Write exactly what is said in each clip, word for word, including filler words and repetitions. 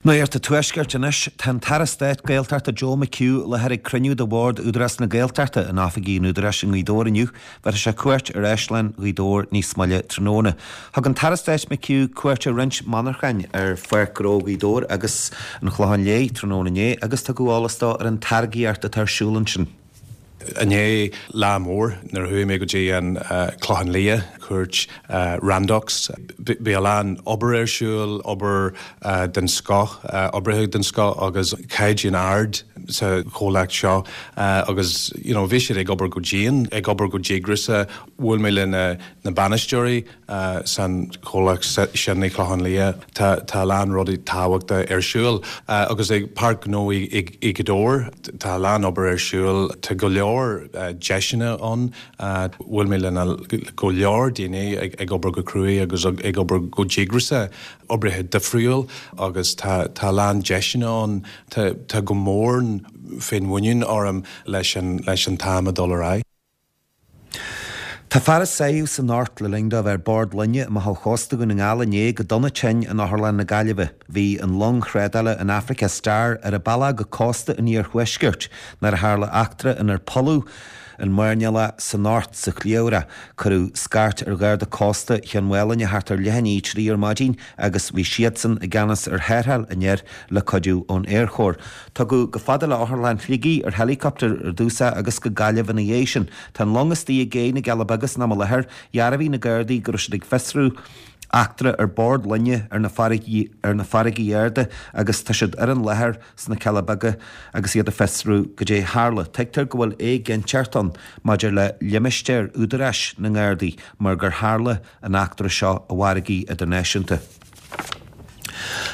Nuacht an Tuaiscirt anois, tá an tAire Stáit Gaeltachta Joe McHugh i láthair ag cruinniú de Bhord Údarás na Gaeltachta in oifigí an Údaráis i nGaoth Dobhair inniu. Bhéarfaidh sé cuairt ar Áislann Ghaoth Dobhair níos moille tráthnóna. Thug an tAire Stáit McHugh cuairt ar roinnt monarchan ar Pháirc Ghnó Ghaoth Dobhair agus an Chlocháin Léith tráthnóna inné agus tugadh eolas dó ar an táirgíocht atá ar siúl ansin. Inné lá mór nuair a chuaigh mé go dtí an Clochán Liath cuairt Randox. Bhí a lán obair ar siúl, obair den scoth, oibrithe den scoth agus caighdeán ard sa chomhlacht seo agus you know, bhí siad ag obair go dian, ag obair go díograiseach, bhuail mé le na, na bainisteoirí san chomhlacht sin i Clochán Liath tá tá lán rudaí tábhachtacha ar siúl agus ag Páirc Ghnó i Gaoth Dobhair tá lán obair ar siúl tá go leor deiseanna ann bhuail mé le go leor daoine ag, ag obair go cruaidh agus ag obair go díograiseach oibrithe difriúil agus tá tá lán deiseanna ann tá tá go mór féinmhuinín orm leis an leis an t-am a dul ar aghaidh. Tá fear a sáitheadh san Ort le linn dó a bheith ar bord loinge amach ó chósta Dhún na nGall inné go dona tinn in Otharlann na Gaillimhe. Bhí an long thrádála an Africa Star ar a bealach go cósta an iarthuaiscirt nuair a tharla eachtra inar polladh an mairnéalach san Ort sa chliabhrach. Cuireadh scairt ar Gharda Cósta Chionn Mhálanna thart ar leath i ndiaidh a trí ar maidin agus bhí siadsan i gceannas ar tharrtháil an fhir le cuidiú ón Aerchór. Tugadh chomh fada le Otharlann Shligigh ar helicopter ar dtús é agus go Gaillimh ina dhiaidh sin. Tá an long istigh i gcé na gCealla Beaga san am i láthair, dhearbhaigh na Gardaí go raibh siad ag fiosrú eachtra ar bord loinge ar na farraigí ar na farraigí arda agus tá siad ar an láthair sna Cealla Beaga agus iad ag fiosrú goidé tharla. Tuigtear go bhfuil éiginnteacht ann maidir le limistéar údaráis na nGardaí mar gur tharla an eachtra seo i bhfarraigí idirnáisiúnta.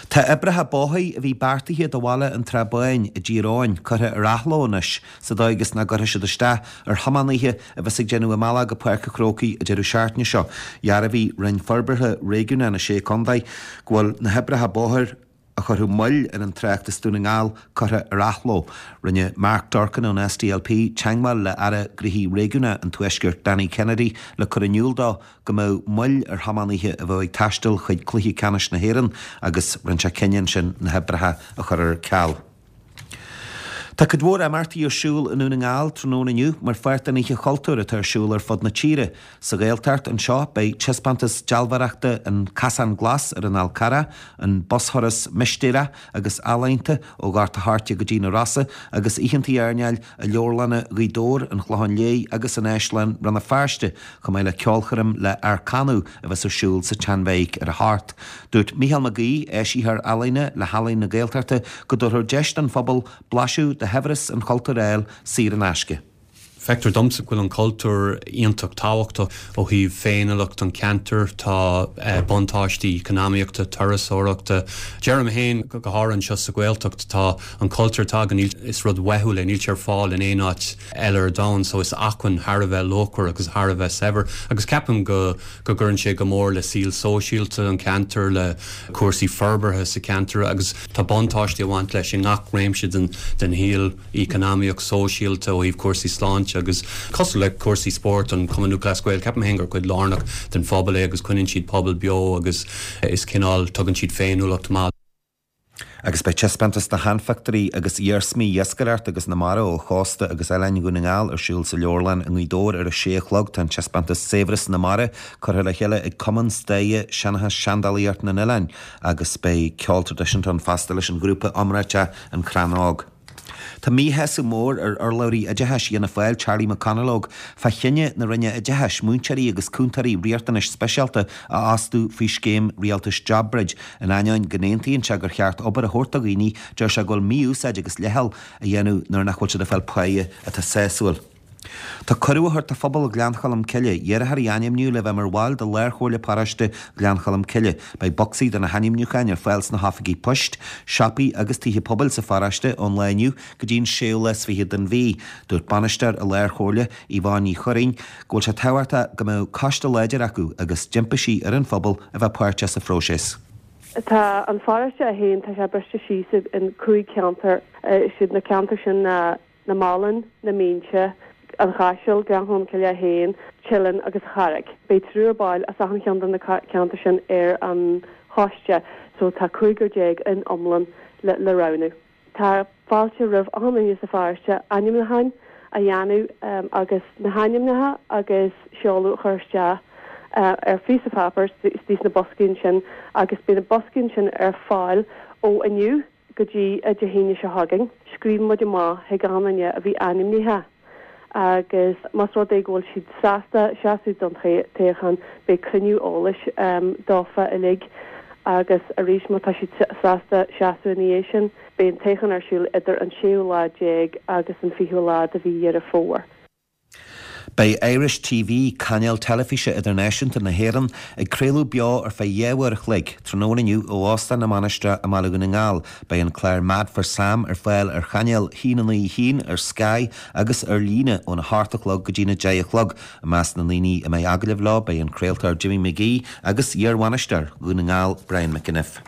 Tá oibreacha bóthair a bhí beartaithe do bhaile an Trá Báin i dTír Eoghain curtha ar athló anois sa dóigh is nach gcuirfidh siad isteach ar thiománaithe a bheas ag déanamh a mbealach go Páirc an Chrócaigh an deireadh seachtaine seo. Dhearbhaigh Roinn Forbartha Réigiúnach na Sé Contae go bhfuil na hoibreacha bóthair a chuirfeadh moill ar an trácht as Dún na nGall curtha ar athló. Rinne Mark Durkan ón SDLP teagmháil le Aire Gnóthaí Réigiúnacha an Tuaiscirt Danny Kennedy le cur in iúl dó go mbeadh moill ar thiománaithe a bheadh ag taisteal chuig Cluiche Ceannais na hÉireann agus rinne sé cinneadh ansin na hoibreacha a chur ar ceal. Tá cuid mhór imeachtaí ar siúl i nDún na nGall tráthnóna inniu mar pháirt den Oíche Chultúir atá ar siúl ar fud na tíre. Sa Ghaeltacht anseo beidh taispeántas dealbhóireachta an Casán Glas ar an Fhál Carrach, an bushuras mistéireach agus ealaíonta ó Ghort a' Choirce go dtí na Rosa agus oícheanta airneáil i leabharlanna Ghaoth Dobhair, an Chlocháin Léith agus in Áislann Rann na Feirste, chomh maith le ceolchoirm le Arcanu a bheas ar siúl sa tSeanbheairic ar a hocht. Dúirt Mícheál Mac Aoidh, áisitheoir ealaíne le hEalaín na Gaeltachta, go dtabharfar deis don phobal blaiseadh de shaibhreas an chultúir a fháil saor in aisce. Feictear domsa go bhfuil an cultúr iontach tábhachtach ó thaobh féiniúlacht an cheantair, tá buntáistí eacnamaíochta, turasóireachta. Deirim féin go háirithe anseo sa Ghaeltacht tá an cultúr atá againn is rud uathúil é, níl sé ar fáil in aon áit eile ar domhan, so is acmhainn thar a bheith luachmhar agus thar a bheith saibhir agus ceapaim go go gcuireann sé go mór le saol sóisialta an cheantair, le cúrsaí forbartha sa cheantar agus tá buntáistí ag baint leis i ngach réimse den den shaol eacnamaíoch, sóisialta ó thaobh cúrsaí sláinte agus cosúil le cúrsaí spóirt an Cumann Lúthchleas Gael, ceapaim féin gur cuid lárnach den phobal é agus coinníonn siad pobal beo agus is cineál tugann siad féiniúlacht maith. Agus beidh taispeántas de sheanphictiúirí agus iarsmaí iascaireachta agus na mara ó chósta agus oileáin Dhún na nGall ar siúl sa leabharlann i nGaoth Dobhair ar a sé a chlog. Tá an taispeántas Saibhreas na Mara curtha le chéile ag Cumann Staire Seanchas Seandálaíocht na nOileán agus beidh ceol traidisiúnta ann fosta leis an ghrúpa iomráiteach An Crann Óg. Tá míshásamh mór ar urlabhraí oideachais Fhianna Fáil Charlie McConalogue fá chinneadh na Roinne Oideachais múinteoirí agus cúntóirí riachtanais speisialta a fhostú faoi scéim rialtais JobBridge. In ainneoin go n-aontaíonn sé gur cheart obair a thabhairt do dhaoine, deir sé go bhfuil mí-úsáid agus leithcheal á dhéanamh nuair nach bhfuil siad ag fáil páighe atá sásúil. Tá cuireadh á thabhairt do phobal Ghleann Cholm Cille iarrthóirí a ainmniú le bheith mar bhaill de Lárchomhairle Paróiste Ghleann Cholm Cille. Beidh bocsaí do na hainmniúcháin ar fáil sna hoifigí poist, siopaí agus tithe pobail sa pharóiste ón lá inniu go dtí an séú lá is fiche den mhí. Dúirt bainisteoir an Lárchomhairle, Yvonne Ní Churraoin, go bhfuil sé tábhachtach go mbeadh coiste láidir acu agus d'impigh sí ar an phobal a bheith páirteach sa phróiseas. Tá an pharóiste é féin tá sé briste síos in cúig cheantar is iad na ceantair sin na na Málanna, na Mínse, an Chaiseal, Gleann Cholm Cille é féin, Teileann agus Carraig. Beidh triúr ball as achan cheann de na ceantair sin ar an choiste so tá cúigear déag in iomlán le, le roghnú. Tá fáilte roimh achan duine sa pharóiste ainmniúcháin a dhéanamh um, agus na hainmneacha agus seoladh a chur isteach uh, ar phíosa páipéir istigh sna boscaí sin agus beidh na boscaí sin ar fáil ó inniu go dtí Dé hAoine seo chugainn. Scríobh muid amach chuig gach duine a bhí ainmnithe agus más rud é go bhfuil siad sásta seasamh don toghchán beidh cruinniú eolais um, dófa uilig agus arís má tá siad sásta seasamh ina dhiaidh sin, beidh an toghchán ar siúl idir an séú lá déag agus an fichiú lá de mhí Dheireadh Fómhair. Beidh Irish TV cainéal teilifíse idirnáisiúnta na hÉireann ag craoladh beo ar feadh dhá uair a chloig tráthnóna inniu ó Óstán na Mainistreach i mBaile Dhún na nGall. Beidh an clár Mad for Sam ar fáil ar chainéal a haon naoi haon ar Sky agus ar líne óna hocht a chlog go dtí na deich a chlog. I measc na ndaoine a mbeidh agallamh leo beidh an craoltóir Jimmy McGee agus iarbhainisteoir Dhún na nGall Brian McEniff.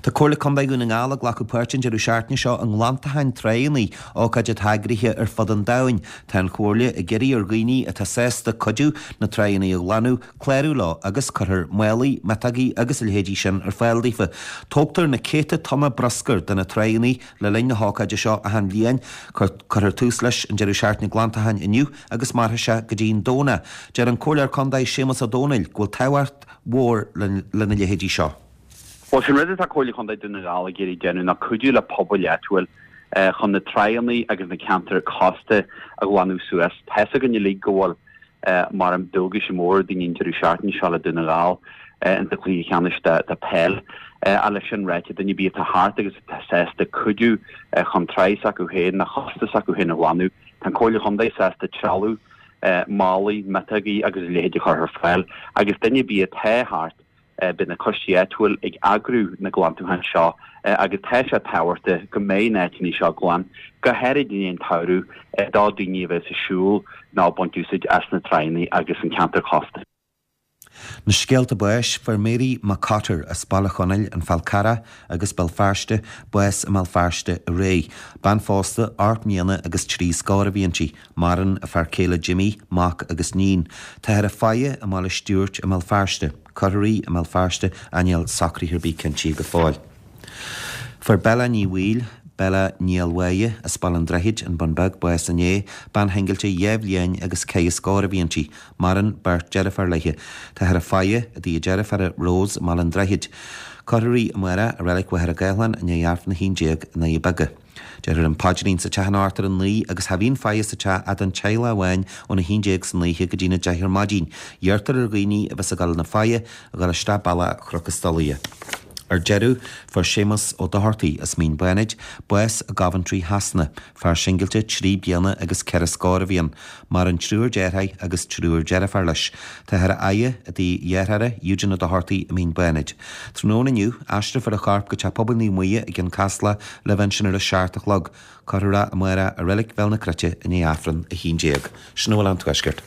Tá Comhairle Contae Dhún na nGall ag glacadh páirt an deireadh seachtaine seo i nglantachán tránna, ócáid atá eagraithe ar fud an domhain. Tá an Chomhairle ag iarraidh ar dhaoine atá sásta cuidiú na tránna a ghlanadh, clárú leo agus cuirfear málaí, miotógaí agus a leithéidí sin ar fáil daofa. Tógtar na céadta tonna bruscair de na tránna le linn na hócáide seo achan bhliain, cuirfear tús leis an deireadh seachtaine glantacháin inniu agus mairfidh sé go dtí an Domhnach. Deir an Comhairleoir Contae Séamus Ó Dónaill go bhfuil tábhacht mhór lena leithéidí seo. Well sin rud atá Comhairle Contae Dhún na nGall ag iarraidh déanamh ná cuidiú le pobail áitiúil eh, chun na tránna agus na ceantair cósta a ghlanadh suas. Tá a fhios againn uilig go bhfuil eh, mar an dualgas mór daoine an deireadh seachtaine seo le Dún na nGall eh, in sa chluiche ceannais de de peil. A leis sin ráite duine ar bith atá thart agus atá sásta cuidiú chun trá s'acu féin nó cósta s'acu féin a ghlanadh. Tá Comhairle Contae sásta trealamh málaí, miotógaí agus a leithéid a chur ar fáil agus duine ar bith atá thart beidh na coistí áitiúil ag eagrú na glantúcháin seo agus tá sé tábhachtach go mbeidh na háiteanna seo glan, go háirid i ndiaidh an tsamhraidh do daoine a bheith ag siúl nó ag baint úsáid as na tránna agus an ceantar cósta. Na scéalta báis fuair Mary McCotter as Baile Chonaill an Fál Carrach agus Béal Feirste bás i mBéal Feirste aréir. Bean phósta ocht mbliana agus trí scór a bhí inti, maireann a fear céile Jimmy, mac agus níon. Táthar á faire i mBaile Stiúirt i mBéal Feirste. Cuirfear í i mBéal Feirste níl socruithe ar bith cinntithe go fóill. Fuair Bella Ní Bhaoill, Bella Ní Almháille as Baile an Droichid an Bun Beag bás inné, bean shingilte dhá bhliain agus ceithre scór a bhí inti, maireann beirt deirfiúr léi. Táthar á faire i dtigh a deirféara Rose i mBaile an Droichid. Cuirfear í amárach i Reilig Mhachaire Gathlán i ndiaidh Aifreann a haon déag i nDoirí Beaga. Déarfar an paidrín sa teach in Ard ar a naoi agus cha bhíonn faire sa teach ach don teaghlach amháin óna haon déag san oíche go dtí na deich ar maidin. Iarrtar ar dhaoine a bheas ag dul na faire a dhul isteach bealach Chnoc an Stolaire. Ar deireadh, fuair Séamus Ó Dochartaigh as Mín Bánaid, bás i gCoventry Shasana, fear singilte trí bliana agus ceithre scór a bhí ann, maireann triúr deartháir agus triúr deirfiúr leis. Táthar á fhaire i dtigh a dhearthára Eugene Ó Dochartaigh i Mín Bánaid. Tráthnóna inniu, aistreofar a chorp go Teach Pobail Naomh Muire i gCionn Caslach le bheith ansin ar a seacht a chlog. Cuirfear é amárach i Reilig Bhéal na Cruite i ndiaidh Aifreann a haon déag. Sin a bhfuil ón Tuaisceart.